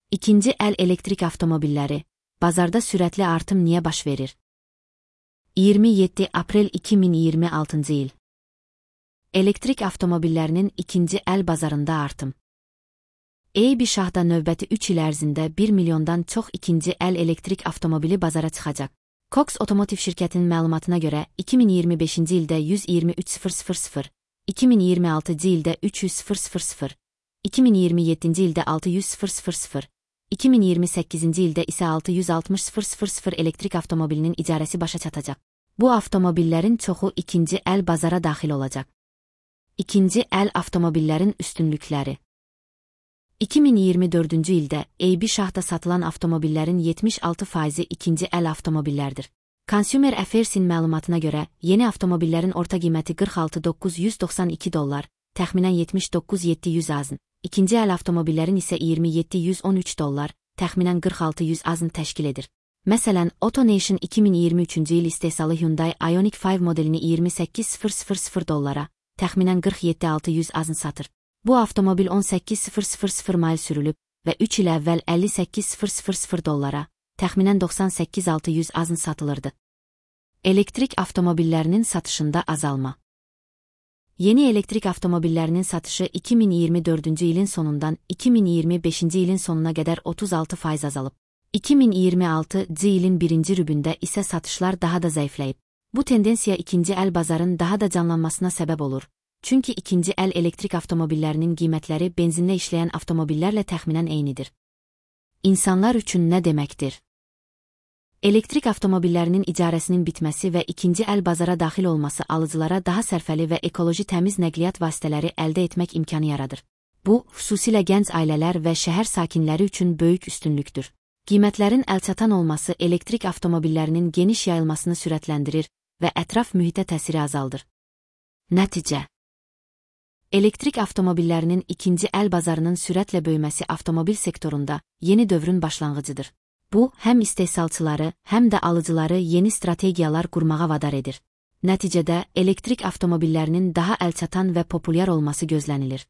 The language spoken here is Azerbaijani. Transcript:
İkinci əl elektrik avtomobilləri, bazarda sürətli artım niyə baş verir? 27 aprel 2026 il. Elektrik avtomobillərinin ikinci əl bazarında artım. AB şahda növbəti 3 il ərzində 1 milyondan çox ikinci əl elektrik avtomobili bazara çıxacaq. Cox Otomotiv şirkətinin məlumatına görə 2025-ci ildə 123.000, 2026-cı ildə 300.000, 2027-ci ildə 600.000, 2028-ci ildə isə 660.000 elektrik avtomobilinin icarəsi başa çatacaq. Bu avtomobillərin çoxu ikinci əl bazara daxil olacaq. İkinci əl avtomobillərin üstünlükləri. 2024-cü ildə AB şahda satılan avtomobillərin 76%-i ikinci əl avtomobillərdir. Consumer Affairs-in məlumatına görə, yeni avtomobillərin orta qiyməti $46.992, təxminən $79.700 azın. İkinci əl avtomobillərin isə $27.113, təxminən $46.100 azın təşkil edir. Məsələn, AutoNation 2023-cü il istehsalı Hyundai Ioniq 5 modelini $28.000, təxminən $47.600 azın satır. Bu avtomobil 18.000 mayl sürülüb və 3 il əvvəl $58.000, təxminən $98.600 azın satılırdı. Elektrik avtomobillərinin satışında azalma. Yeni elektrik avtomobillərinin satışı 2024-cü ilin sonundan 2025-ci ilin sonuna qədər 36% azalıb. 2026-cı ilin birinci rübündə isə satışlar daha da zəifləyib. Bu tendensiya ikinci əl bazarın daha da canlanmasına səbəb olur. Çünki ikinci əl elektrik avtomobillərinin qiymətləri benzinlə işləyən avtomobillərlə təxminən eynidir. İnsanlar üçün nə deməkdir? Elektrik avtomobillərinin icarəsinin bitməsi və ikinci əl bazara daxil olması alıcılara daha sərfəli və ekoloji təmiz nəqliyyat vasitələri əldə etmək imkanı yaradır. Bu, xüsusilə gənc ailələr və şəhər sakinləri üçün böyük üstünlükdür. Qiymətlərin əlçatan olması elektrik avtomobillərinin geniş yayılmasını sürətləndirir və ətraf mühitə təsiri azaldır. Nəticə. Elektrik avtomobillərinin ikinci əl bazarının sürətlə böyüməsi avtomobil sektorunda yeni dövrün başlanğıcıdır. Bu, həm istehsalçıları, həm də alıcıları yeni strategiyalar qurmağa vadar edir. Nəticədə, elektrik avtomobillərinin daha əlçatan və populyar olması gözlənilir.